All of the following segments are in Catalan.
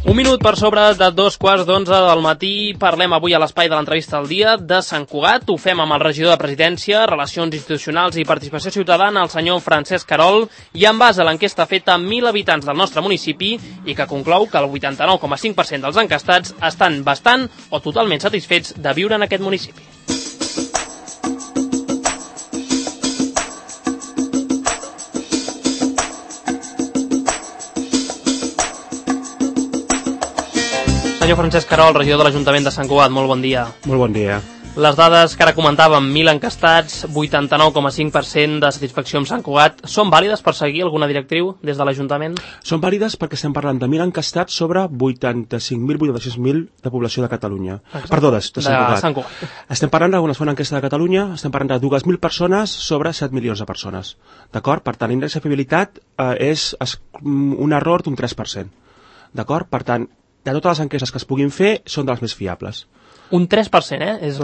Un minut per sobre de 2:15 del matí. Parlem avui a l'espai de l'entrevista del dia de Sant Cugat. Ho fem amb el regidor de Presidència, Relacions Institucionals i Participació Ciutadana, el senyor Francesc Querol, i en base a l'enquesta feta amb 1.000 habitants del nostre municipi i que conclou que el 89,5% dels encastats estan bastant o totalment satisfets de viure en aquest municipi. Senyor Francesc Querol, regidor de l'Ajuntament de Sant Cugat, molt bon dia. Molt bon dia. Les dades que ara comentàvem, 1.000 encastats, 89,5% de satisfacció amb Sant Cugat, són vàlides per seguir alguna directriu des de l'Ajuntament? Són vàlides perquè estem parlant de 1.000 encastats sobre 85.000, 86.000 de població de Catalunya. Exacte. Perdó, de Sant Cugat. Cugat. Estem parlant d'una segona enquesta de Catalunya, estem parlant de 2.000 persones sobre 7 milions de persones. D'acord? Per tant, l'índex de fiabilitat és un error d'un 3%. D'acord? Per tant, de totes les enquestes que es puguin fer, són de les més fiables. Un 3%, és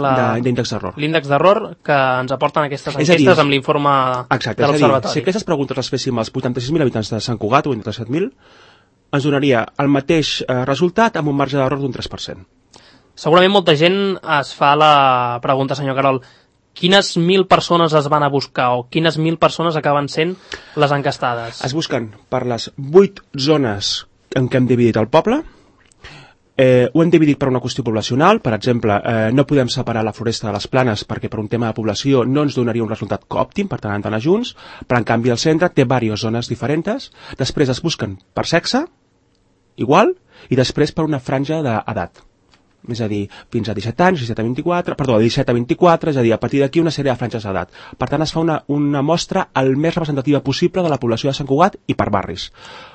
d'índex d'error. L'índex d'error que ens aporten aquestes enquestes amb l'informe de l'Observatori. Si aquestes preguntes les féssim als 86.000 habitants de Sant Cugat o entre 7.000, ens donaria el mateix resultat amb un marge d'error d'un 3%. Segurament molta gent es fa la pregunta, senyor Querol, quines 1.000 persones es van a buscar o quines 1.000 persones acaben sent les encastades? Es busquen per les 8 zones en què hem dividit el poble. Ho hem dividit per una qüestió poblacional. Per exemple, no podem separar la Floresta de les Planes perquè per un tema de població no ens donaria un resultat òptim, per tant, d'anar junts, però en canvi el centre té diverses zones diferents. Després es busquen per sexe, igual, i després per una franja d'edat. És a dir, fins a 17 anys, 17 a 24, és a dir, a partir d'aquí una sèrie de franges d'edat. Per tant, es fa una mostra el més representativa possible de la població de Sant Cugat i per barris.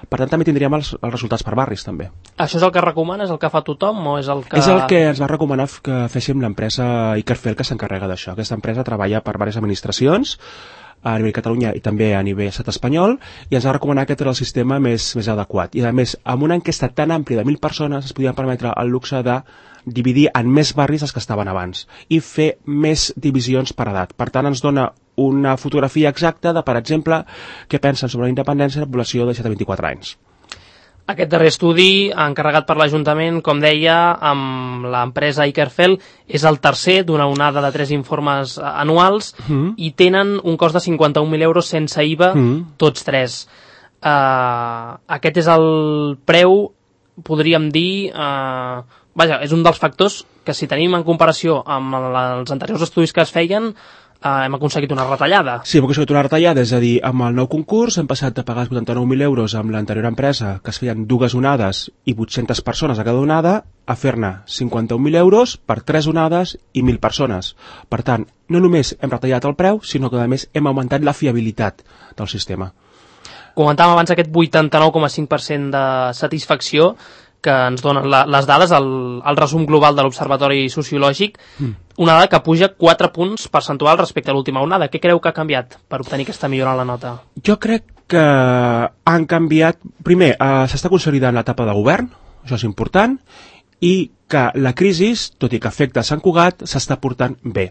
Per tant, també tindríem els resultats per barris, també. Això és el que recomana? És el que fa tothom? O és el que... És el que ens va recomanar que féssim l'empresa Ikerfel, que s'encarrega d'això. Aquesta empresa treballa per diverses administracions, a nivell Catalunya i també a nivell estat espanyol, i ens va recomanar que era el sistema més adequat. I a més, amb una enquesta tan àmplia de 1.000 persones es podien permetre el luxe de dividir en més barris els que estaven abans i fer més divisions per edat. Per tant, ens dona una fotografia exacta de, per exemple, què pensen sobre la independència de la població de 17 a 24 anys. Aquest darrer estudi, encarregat per l'Ajuntament, com deia, amb l'empresa Ikerfel, és el tercer d'una onada de 3 informes anuals i tenen un cost de 51.000 euros sense IVA, tots 3. Aquest és el preu, podríem dir... Vaja, és un dels factors que si tenim en comparació amb els anteriors estudis que es feien, hem aconseguit una retallada. Sí, hem aconseguit una retallada, és a dir, amb el nou concurs hem passat de pagar 89.000 euros amb l'anterior empresa, que es feien 2 onades i 800 persones a cada onada, a fer-ne 51.000 euros per 3 onades i 1.000 persones. Per tant, no només hem retallat el preu, sinó que a més hem augmentat la fiabilitat del sistema. Comentàvem abans aquest 89,5% de satisfacció que ens donen les dades, el resum global de l'Observatori Sociològic, una dada que puja 4 punts percentuals respecte a l'última onada. Què creu que ha canviat per obtenir aquesta millora en la nota? Jo crec que han canviat... Primer, s'està consolidant l'etapa de govern, això és important, i que la crisi, tot i que afecta a Sant Cugat, s'està portant bé.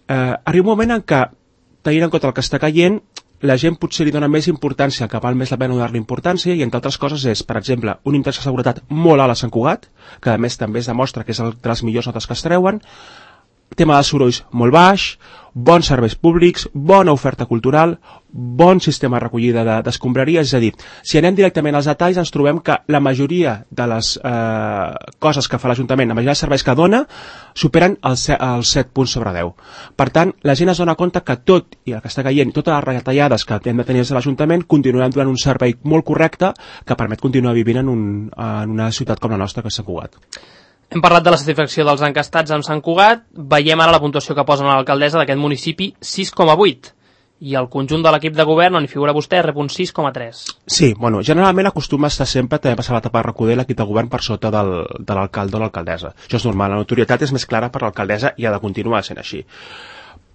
Arriba un moment en què, tenint en compte el que està caient, la gent potser li dona més importància, que val més la pena donar-li importància, i entre altres coses és, per exemple, un índex de seguretat molt alt a Sant Cugat, que a més també es demostra que és de les millors notes que es treuen, tema de sorolls molt baix, bons serveis públics, bona oferta cultural, bon sistema de recollida d'escombraria, és a dir, si anem directament als detalls ens trobem que la majoria de les coses que fa l'Ajuntament, la majoria de serveis que dona, superen els 7 punts sobre 10. Per tant, la gent es dona compte que tot, i el que està caient, totes les retallades que hem de tenir des de l'Ajuntament, continuaran donant un servei molt correcte que permet continuar vivint en una ciutat com la nostra, que és Sant Cugat. Hem parlat de la satisfacció dels encastats amb Sant Cugat, veiem ara la puntuació que posen a l'alcaldessa d'aquest municipi, 6,8, i el conjunt de l'equip de govern, on hi figura vostè, rep un 6,3. Sí, bueno, generalment acostuma a estar sempre, també passar l'etapa de recuder l'equip de govern per sota de l'alcalde o l'alcaldessa. Això és normal, la notorietat és més clara per l'alcaldessa i ha de continuar sent així.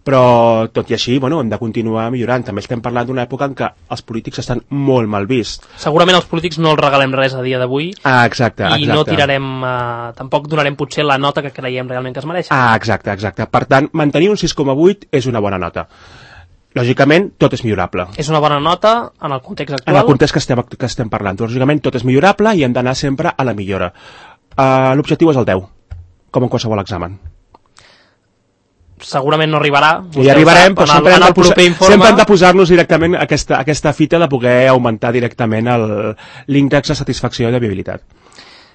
Però, tot i així, bueno, hem de continuar millorant. També estem parlant d'una època en què els polítics estan molt mal vists. Segurament els polítics no els regalem res a dia d'avui. Exacte. I no tirarem, tampoc donarem potser la nota que creiem realment que es mereix. Exacte. Per tant, mantenir un 6,8 és una bona nota. lògicament, tot és millorable. És una bona nota en el context actual? En el context que estem parlant. Lògicament, tot és millorable i hem d'anar sempre a la millora. L'objectiu és el 10, com en qualsevol examen. Segurament no arribarà. I arribarem, però sempre hem de posar-nos directament aquesta fita de poder augmentar directament l'índex de satisfacció i de viabilitat.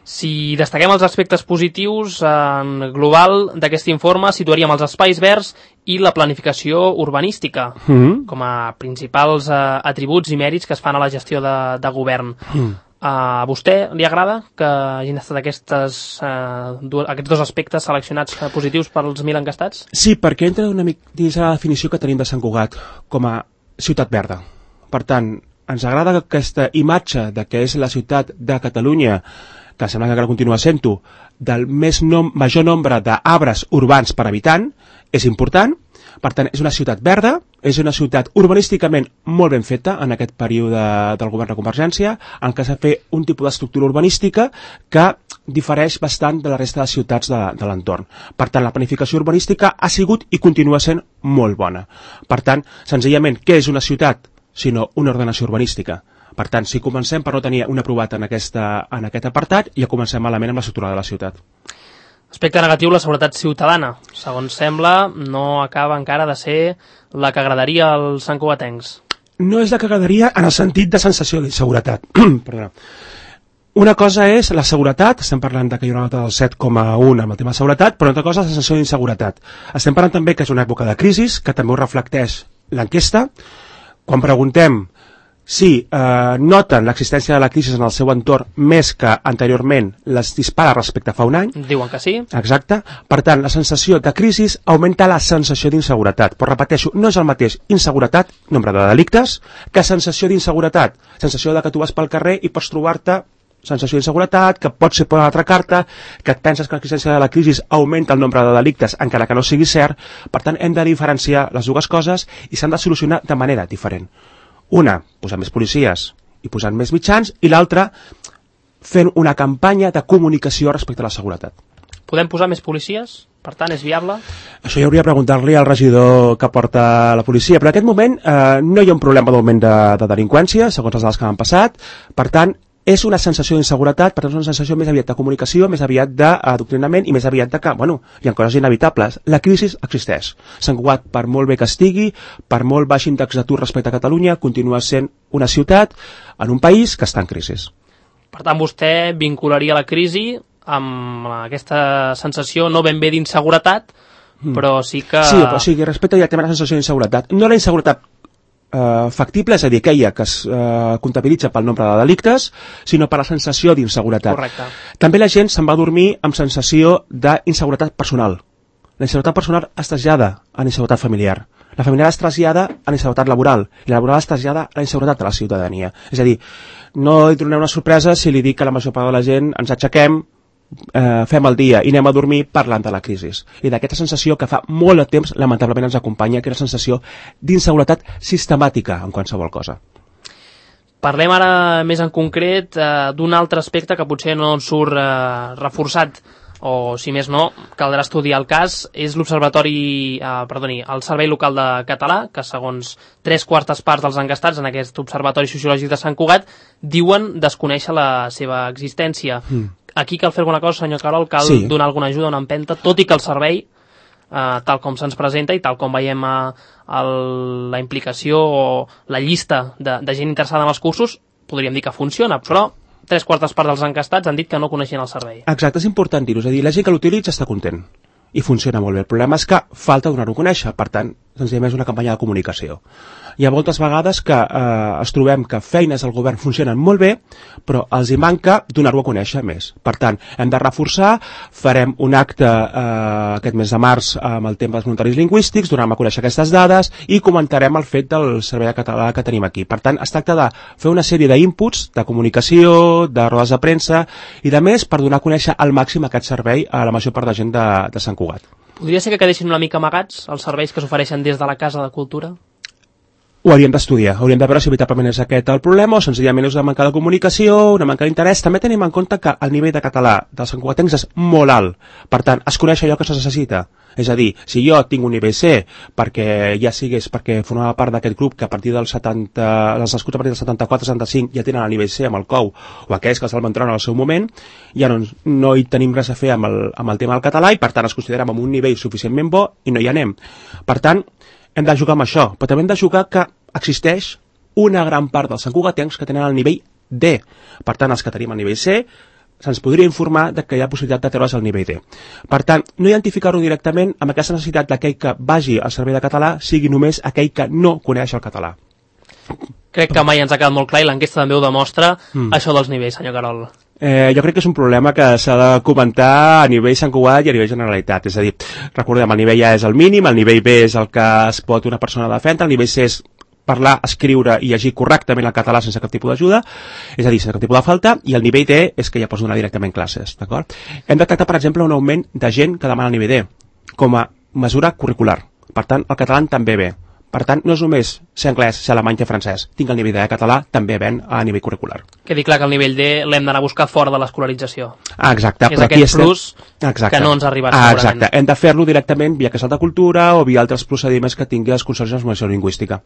Si destaquem els aspectes positius en global d'aquest informe, situaríem els espais verds i la planificació urbanística com a principals atributs i mèrits que es fan a la gestió de govern. A vostè li agrada que hagin estat aquests dos aspectes seleccionats positius pels 1.000 enquestats? Sí, perquè entra una mica dins la definició que tenim de Sant Cugat com a ciutat verda. Per tant, ens agrada aquesta imatge de que és la ciutat de Catalunya, que sembla que encara continua sent-ho, del major nombre d'arbres urbans per habitant, és important. Per tant, és una ciutat verda, és una ciutat urbanísticament molt ben feta en aquest període del govern de Convergència, en què s'ha fet un tipus d'estructura urbanística que difereix bastant de la resta de ciutats de l'entorn. Per tant, la planificació urbanística ha sigut i continua sent molt bona. Per tant, senzillament, què és una ciutat sinó una ordenació urbanística? Per tant, si comencem per no tenir un aprovat en aquest apartat, ja comencem malament amb l'estructura de la ciutat. Aspecte negatiu, la seguretat ciutadana. Segons sembla, no acaba encara de ser la que agradaria als santcugatencs. No és la que agradaria en el sentit de sensació d'inseguretat. Perdona. Una cosa és la seguretat, estem parlant que hi ha una nota del 7,1 amb el tema de seguretat, però una altra cosa és la sensació d'inseguretat. Estem parlant també que és una època de crisi, que també ho reflecteix l'enquesta. Quan preguntem si noten l'existència de la crisi en el seu entorn més que anteriorment les dispara respecte a fa un any. Diuen que sí. Exacte. Per tant, la sensació de crisi augmenta la sensació d'inseguretat. Però repeteixo, no és el mateix inseguretat, nombre de delictes, que sensació d'inseguretat. Sensació de que tu vas pel carrer i pots trobar-te sensació d'inseguretat, que pot ser per una altra carta, que et penses que l'existència de la crisi augmenta el nombre de delictes, encara que no sigui cert. Per tant, hem de diferenciar les dues coses i s'han de solucionar de manera diferent. Una, posant més policies i posant més mitjans, i l'altra, fent una campanya de comunicació respecte a la seguretat. Podem posar més policies? Per tant, és viable? Això ja hauria de preguntar-li al regidor que porta la policia, però en aquest moment no hi ha un problema d'augment de delinqüència, segons les dades que han passat. Per tant, és una sensació d'inseguretat, per tant és una sensació més aviat de comunicació, més aviat d'adoctrinament i més aviat de que, hi ha coses inevitables. La crisi existeix. Sant Cugat, per molt bé que estigui, per molt baix índex d'atur respecte a Catalunya, continua sent una ciutat en un país que està en crisi. Per tant, vostè vincularia la crisi amb aquesta sensació no ben bé d'inseguretat, però sí que... Sí, però sí, respecte directament a la sensació d'inseguretat. No la inseguretat factible, és a dir, aquella que es comptabilitza pel nombre de delictes, sinó per la sensació d'inseguretat. Correcte. També la gent se'n va dormir amb sensació d'inseguretat personal. La inseguretat personal es trasllada a la inseguretat familiar. La familiar es trasllada a la inseguretat laboral i la laboral es trasllada a la inseguretat de la ciutadania. És a dir, no li donaré una sorpresa si li dic que la major part de la gent ens aixequem, fem el dia i anem a dormir parlant de la crisi i d'aquesta sensació que fa molt de temps lamentablement ens acompanya, que és la sensació d'inseguretat sistemàtica en qualsevol cosa. Parlem ara més en concret d'un altre aspecte que potser no ens surt reforçat, o si més no, caldrà estudiar el cas, és el Servei Local de Català, que segons 3/4 parts dels enquestats en aquest Observatori Sociològic de Sant Cugat diuen desconèixer la seva existència. Aquí cal fer alguna cosa, senyor Carol, cal donar alguna ajuda, una empenta, tot i que el servei, tal com se'ns presenta i tal com veiem la implicació o la llista de gent interessada en els cursos, podríem dir que funciona, però 3/4 parts dels enquestats han dit que no coneixien el servei. Exacte, és important dir-ho, és a dir, la gent que l'utilitza està content i funciona molt bé. El problema és que falta donar-ho a conèixer, per tant, senzillament és una campanya de comunicació. Hi ha moltes vegades que es trobem que feines del govern funcionen molt bé, però els hi manca donar-ho a conèixer més. Per tant, hem de reforçar, farem un acte aquest mes de març amb el tema dels voluntaris lingüístics, donarem a conèixer aquestes dades i comentarem el fet del servei català que tenim aquí. Per tant, es tracta de fer una sèrie d'inputs, de comunicació, de rodes de premsa i de més per donar a conèixer al màxim aquest servei a la major part de gent de Sant Cugat. Podria ser que quedessin una mica amagats els serveis que s'ofereixen des de la Casa de Cultura? ho hauríem d'estudiar, hauríem de veure si veritablement és aquest el problema o senzillament és una manca de comunicació, una manca d'interès. També tenim en compte que el nivell de català dels santcugatencs és molt alt, per tant, es coneix allò que se necessita. És a dir, si jo tinc un nivell C perquè ja sigués perquè formava part d'aquest grup que a partir dels 70, els nascuts a partir del 74-75 ja tenen el nivell C amb el COU o aquells que se'l van treure en el seu moment, ja no hi tenim res a fer amb el tema del català i per tant es considerem amb un nivell suficientment bo i no hi anem. Per tant, hem de jugar amb això, però també hem de jugar que existeix una gran part dels santcugatencs que tenen el nivell D. Per tant, els que tenim el nivell C, se'ns podria informar de que hi ha possibilitat de treure's el nivell D. Per tant, no identificar-ho directament amb aquesta necessitat d'aquell que vagi al servei de català sigui només aquell que no coneix el català. Crec que mai ens ha quedat molt clar i l'enquesta també ho demostra, això dels nivells, senyor Carol. Jo crec que és un problema que s'ha de comentar a nivell Sant Cugat i a nivell Generalitat. És a dir, recordem, el nivell A és el mínim, el nivell B és el que es pot una persona defendre, el nivell C és parlar, escriure i llegir correctament el català sense cap tipus d'ajuda, és a dir, sense cap tipus de falta, i el nivell D és que ja pots donar directament classes, d'acord? Hem detectat, per exemple, un augment de gent que demana el nivell D com a mesura curricular. Per tant, el català també ve. Per tant, no és només ser anglès, ser alemany i francès. Tinc el nivell de català, també ven a nivell curricular. Quedi clar que el nivell D l'hem d'anar a buscar fora de l'escolarització. Exacte. És aquest plus que no ens ha arribat segurament. Exacte. Hem de fer-lo directament via Casal de Cultura o via altres procediments que tingui els consorcis de normalització lingüística.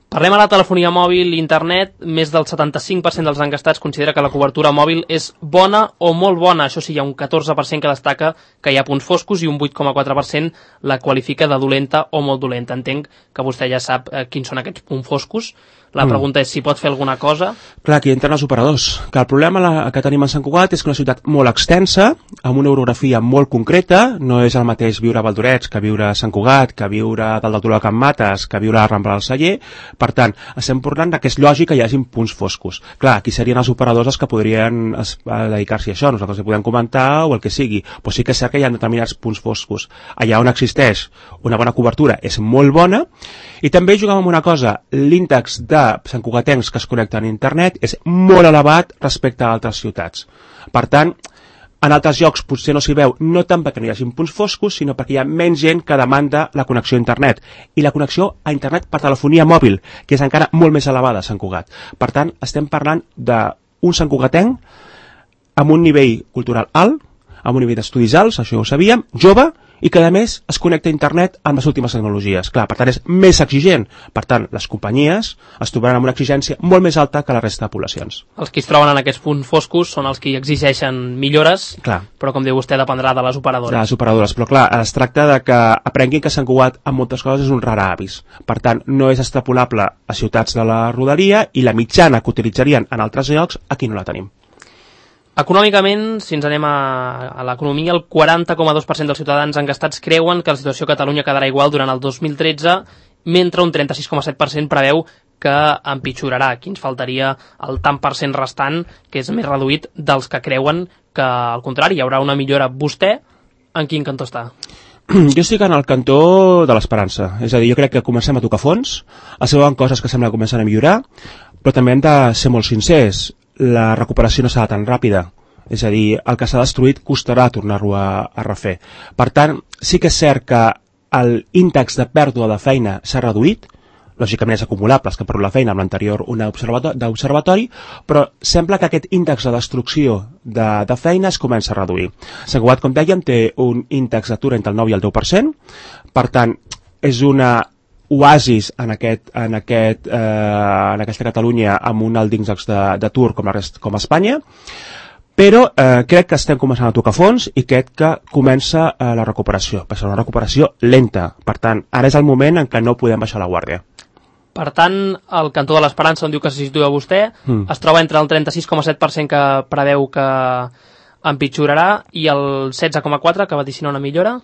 Parlem ara de telefonia mòbil i internet. Més del 75% dels enquestats considera que la cobertura mòbil és bona o molt bona. Això sí, hi ha un 14% que destaca que hi ha punts foscos i un 8,4% la qualifica de dolenta o molt dolenta. Entenc que vostè ja sap quins són aquests punts foscos. La pregunta és si pot fer alguna cosa. Clar, aquí entren els operadors. Que el problema que tenim a Sant Cugat és que una ciutat molt extensa, amb una orografia molt concreta, no és el mateix viure a Valdorets que viure a Sant Cugat, que viure dalt del turó de Can Mates, que viure a la Rambla del Celler. Per tant, estem parlant que és lògic que hi hagi punts foscos. Clar, aquí serien els operadors els que podrien dedicar-s'hi a això, nosaltres hi podem comentar o el que sigui, però sí que és cert que hi ha determinats punts foscos. Allà on existeix una bona cobertura és molt bona, i també juguem amb una cosa, l'índex de santcugatencs que es connecten a internet és molt elevat respecte a altres ciutats. Per tant, en altres llocs potser no s'hi veu, no tant perquè no hi hagi punts foscos, sinó perquè hi ha menys gent que demanda la connexió a internet. I la connexió a internet per telefonia mòbil, que és encara molt més elevada a Sant Cugat. Per tant, estem parlant d'un santcugatenc amb un nivell cultural alt, amb un nivell d'estudis alts, això ho sabíem, jove, i que a més es connecta a internet amb les últimes tecnologies. Clar, per tant és més exigent. Per tant, les companyies es trobaran amb una exigència molt més alta que la resta de poblacions. Els que es troben en aquests punts foscos són els que exigeixen millores, clar, però com diu vostè dependrà de les operadores. De les operadores, però clar, es tracta de que aprenguin que Sant Cugat en moltes coses és un rar avis. Per tant, no és extrapolable a ciutats de la rodalia i la mitjana que utilitzarien en altres llocs aquí no la tenim. Econòmicament, si ens anem a l'economia, el 40,2% dels ciutadans enquestats creuen que la situació a Catalunya quedarà igual durant el 2013, mentre un 36,7% preveu que empitjorarà. Aquí ens faltaria el tant per cent restant, que és més reduït dels que creuen que, al contrari, hi haurà una millora. Vostè, en quin cantó està? Jo estic en el cantó de l'esperança. És a dir, jo crec que comencem a tocar fons, es veuen coses que sembla que comencen a millorar, però també hem de ser molt sincers. La recuperació no serà tan ràpida. És a dir, el que s'ha destruït costarà tornar-ho a refer. Per tant, sí que és cert que l'índex de pèrdua de feina s'ha reduït, lògicament és acumulable, que perdo la feina amb l'anterior d'observatori, però sembla que aquest índex de destrucció de feina es comença a reduir. Sant Cugat, com dèiem, té un índex d'atur entre el 9 i el 10%, per tant, és una oasis en aquesta Catalunya amb un alt índex d'atur com a Espanya, però crec que estem començant a tocar fons i crec que comença la recuperació, però serà una recuperació lenta. Per tant, ara és el moment en què no podem baixar la guàrdia. Per tant, el cantó de l'esperança, on diu que se situa vostè, es troba entre el 36,7% que preveu que empitjorarà i el 16,4% que vaticina una millora?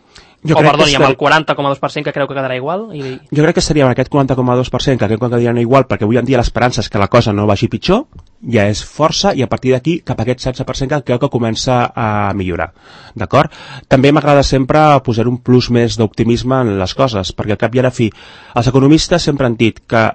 Amb el 40,2% que creu que quedarà igual? Jo crec que estaria en aquest 40,2% que creu que quedarà igual, perquè avui en dia l'esperança és que la cosa no vagi pitjor, ja és força, i a partir d'aquí cap a aquest 16% que creu que comença a millorar. D'acord? També m'agrada sempre posar un plus més d'optimisme en les coses, perquè al cap i a la fi els economistes sempre han dit que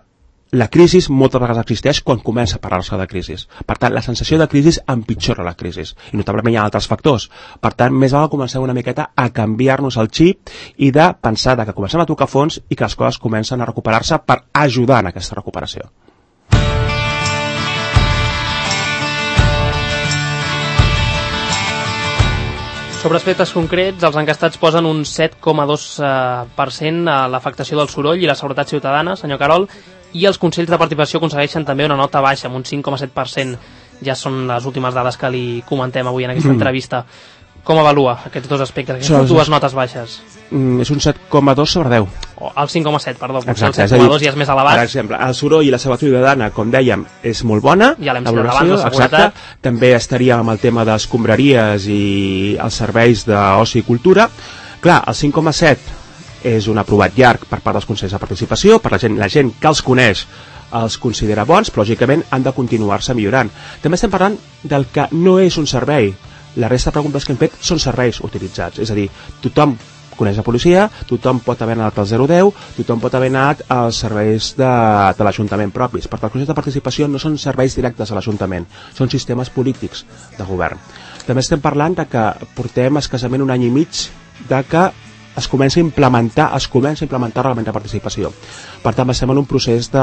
la crisi moltes vegades existeix quan comença a parlar-se de crisi. Per tant, la sensació de crisi empitjora la crisi. I notablement hi ha altres factors. Per tant, més val comencem una miqueta a canviar-nos el xip i de pensar que comencem a tocar fons i que les coses comencen a recuperar-se per ajudar en aquesta recuperació. Sobre aspectes concrets, els encastats posen un 7,2% a l'afectació del soroll i la seguretat ciutadana, senyor Querol, i els consells de participació aconsegueixen també una nota baixa, amb un 5,7%. Ja són les últimes dades que li comentem avui en aquesta entrevista. Com avalua aquests dos aspectes, aquestes dues notes baixes? És un 7,2 sobre 10. El 5,7, perdó. Exacte, el 7,2 ja és més elevat. Per exemple, el soroll i la seguretat ciutadana, com dèiem, és molt bona. Ja l'hem citat abans, la seguretat. Exacte. També estaria amb el tema de les escombraries i els serveis d'oci i cultura. Clar, el 5,7 és un aprovat llarg per part dels consells de participació, per la gent que els coneix els considera bons, però lògicament han de continuar-se millorant. També estem parlant del que no és un servei. La resta de preguntes que hem fet són serveis utilitzats, és a dir, tothom coneix la policia, tothom pot haver anat al 010, tothom pot haver anat als serveis de l'Ajuntament propis. Per tant, els consells de participació no són serveis directes a l'Ajuntament, són sistemes polítics de govern. També estem parlant de que portem escassament un any i mig de que es comença a implementar el reglament de participació. Per tant, estem en un procés de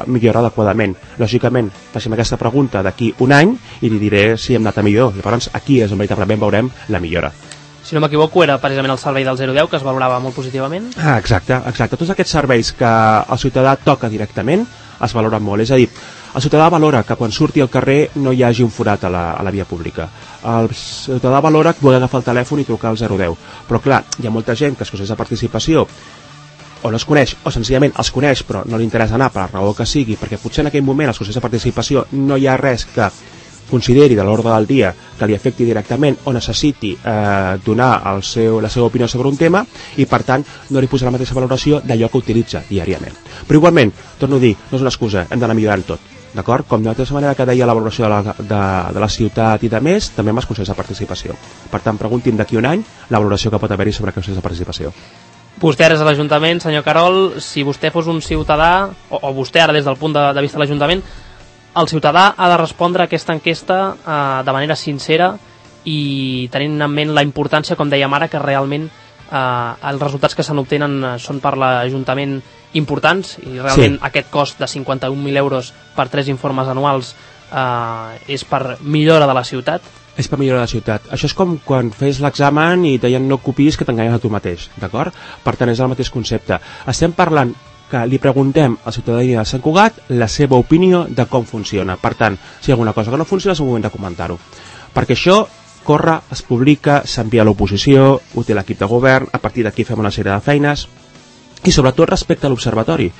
millora adequadament. Lògicament, facem aquesta pregunta d'aquí un any i li diré si hem anat a millor. Llavors, aquí és on veritablement veurem la millora. Si no m'equivoco, era precisament el servei del 010 que es valorava molt positivament. Exacte. Tots aquests serveis que el ciutadà toca directament es valoren molt. És a dir, el ciutadà valora que quan surti al carrer no hi hagi un forat a la via pública. El ciutadà valora poder agafar el telèfon i trucar al 010. Però clar, hi ha molta gent que els consells de participació o no es coneix, o senzillament els coneix però no li interessa anar per la raó que sigui, perquè potser en aquell moment als consells de participació no hi ha res que consideri de l'ordre del dia que li afecti directament o necessiti donar la seva opinió sobre un tema i per tant no li posa la mateixa valoració d'allò que utilitza diàriament. Però igualment, torno a dir, no és una excusa, hem d'anar millorant tot. D'acord? Com de la mateixa manera que deia la valoració de la ciutat i de més, també amb els consells de participació. Per tant, pregunti'm d'aquí un any la valoració que pot haver-hi sobre els consells de participació. Vostè ara és a l'Ajuntament, senyor Querol, si vostè fos un ciutadà, o vostè ara des del punt de vista de l'Ajuntament, el ciutadà ha de respondre a aquesta enquesta de manera sincera i tenint en ment la importància, com dèiem ara, que realment els resultats que se n'obtenen són per l'Ajuntament importants i realment aquest cost de 51.000 euros per 3 informes anuals és per millora de la ciutat. És per millorar la ciutat. Això és com quan fes l'examen i deien no copiïs que t'enganyes a tu mateix, d'acord? Per tant, és el mateix concepte. Estem parlant que li preguntem a la ciutadania de Sant Cugat la seva opinió de com funciona. Per tant, si hi ha alguna cosa que no funciona és el moment de comentar-ho. Perquè això corre, es publica, s'envia a l'oposició, ho té l'equip de govern, a partir d'aquí fem una sèrie de feines i sobretot respecte a l'observatori.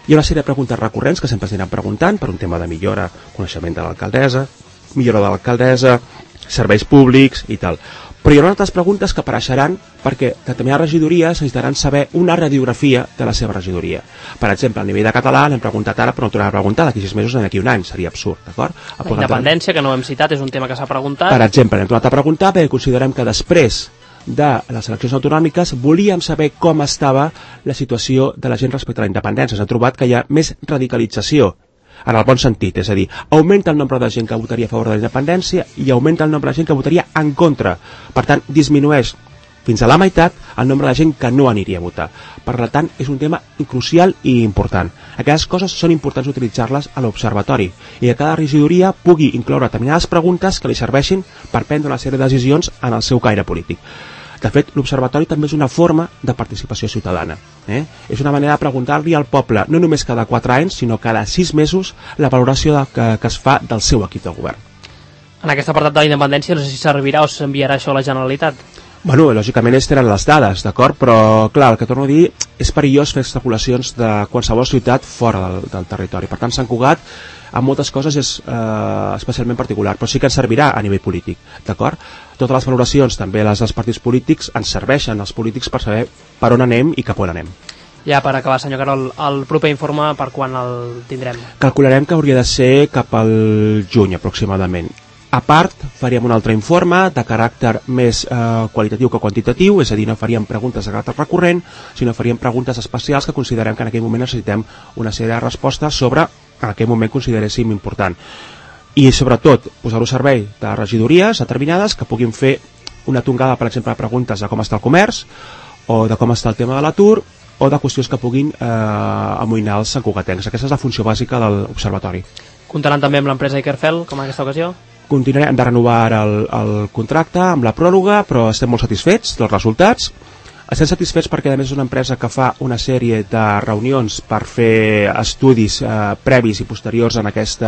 Hi ha una sèrie de preguntes recurrents que sempre s'aniran preguntant per un tema de millora, coneixement de l'alcaldessa, millora de l'alcaldessa, serveis públics i tal. Però hi ha altres preguntes que apareixeran perquè determinades regidories necessitaran saber una radiografia de la seva regidoria. Per exemple, a nivell de català l'hem preguntat ara, però no tornarem a preguntar d'aquí 6 mesos o d'aquí un any, seria absurd, d'acord? La independència, que no hem citat, és un tema que s'ha preguntat. Per exemple, hem tornat a preguntar perquè considerem que després de les eleccions autonòmiques volíem saber com estava la situació de la gent respecte a la independència. S'ha trobat que hi ha més radicalització en el bon sentit, és a dir, augmenta el nombre de gent que votaria a favor de la independència i augmenta el nombre de gent que votaria en contra. Per tant, disminueix fins a la meitat el nombre de gent que no aniria a votar. Per tant, és un tema crucial i important. Aquestes coses són importants utilitzar-les a l'observatori i que cada regidoria pugui incloure determinades preguntes que li serveixin per prendre una sèrie de decisions en el seu caire polític. De fet, l'observatori també és una forma de participació ciutadana. És una manera de preguntar-li al poble, no només cada 4 anys, sinó cada 6 mesos, la valoració que es fa del seu equip de govern. En aquest apartat de la independència, no sé si servirà o s'enviarà això a la Generalitat. Bueno, lògicament ells tenen les dades, d'acord? Però, clar, el que torno a dir, és perillós fer especulacions de qualsevol ciutat fora del territori. Per tant, Sant Cugat, en moltes coses és especialment particular, però sí que ens servirà a nivell polític, d'acord? Totes les valoracions, també les dels partits polítics, ens serveixen als polítics per saber per on anem i cap on anem. Ja per acabar, senyor Querol, el proper informe per quan el tindrem? Calcularem que hauria de ser cap al juny aproximadament. A part, faríem un altre informe de caràcter més qualitatiu que quantitatiu, és a dir, no faríem preguntes de caràcter recurrent, sinó faríem preguntes especials que considerem que en aquell moment necessitem una sèrie de respostes sobre en aquell moment consideréssim important. I sobretot, posar-ho a servei de regidories determinades que puguin fer una tongada, per exemple, de preguntes de com està el comerç, o de com està el tema de l'atur, o de qüestions que puguin amoïnar els santcugatencs. Aquesta és la funció bàsica de l'observatori. Comptaran també amb l'empresa Ikerfel, com en aquesta ocasió? Continuarem de renovar el contracte amb la pròrroga, però estem molt satisfets dels resultats. Estem satisfets perquè a més és una empresa que fa una sèrie de reunions per fer estudis previs i posteriors en aquest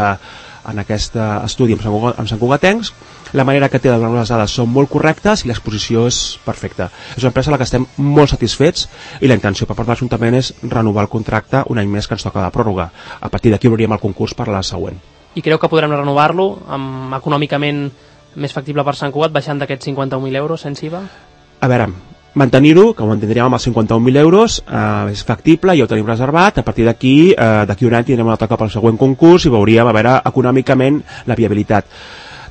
estudi amb santcugatencs. La manera que té de donar les dades són molt correctes i l'exposició és perfecta. És una empresa a la que estem molt satisfets i la intenció per part de l'Ajuntament és renovar el contracte un any més que ens toca de pròrroga. A partir d'aquí obrirem el concurs per a la següent. I creu que podrem renovar-lo econòmicament més factible per Sant Cugat, baixant d'aquests 51.000 euros sense IVA? A veure, mantenir-ho, que ho mantindríem amb els 51.000 euros, és factible, ja ho tenim reservat. A partir d'aquí un any tindrem un altre cop al següent concurs i veuríem a veure econòmicament la viabilitat.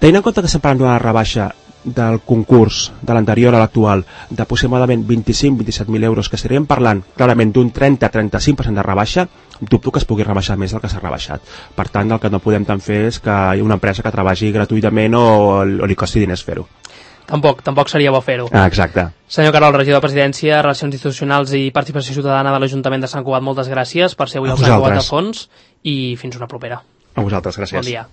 Tenint en compte que estem parlant d'una rebaixa del concurs de l'anterior a l'actual de aproximadament 25-27.000 euros, que estaríem parlant clarament d'un 30-35% de rebaixa, dubto que es pugui rebaixar més del que s'ha rebaixat. Per tant, el que no podem tant fer és que hi ha una empresa que treballi gratuïtament o li costi diners fer-ho. Tampoc seria bo fer-ho. Exacte. Senyor Carol, regidor de Presidència, Relacions Institucionals i Participació Ciutadana de l'Ajuntament de Sant Cugat, moltes gràcies per ser avui al Sant Cugat a Fons i fins una propera. A vosaltres, gràcies. Bon dia.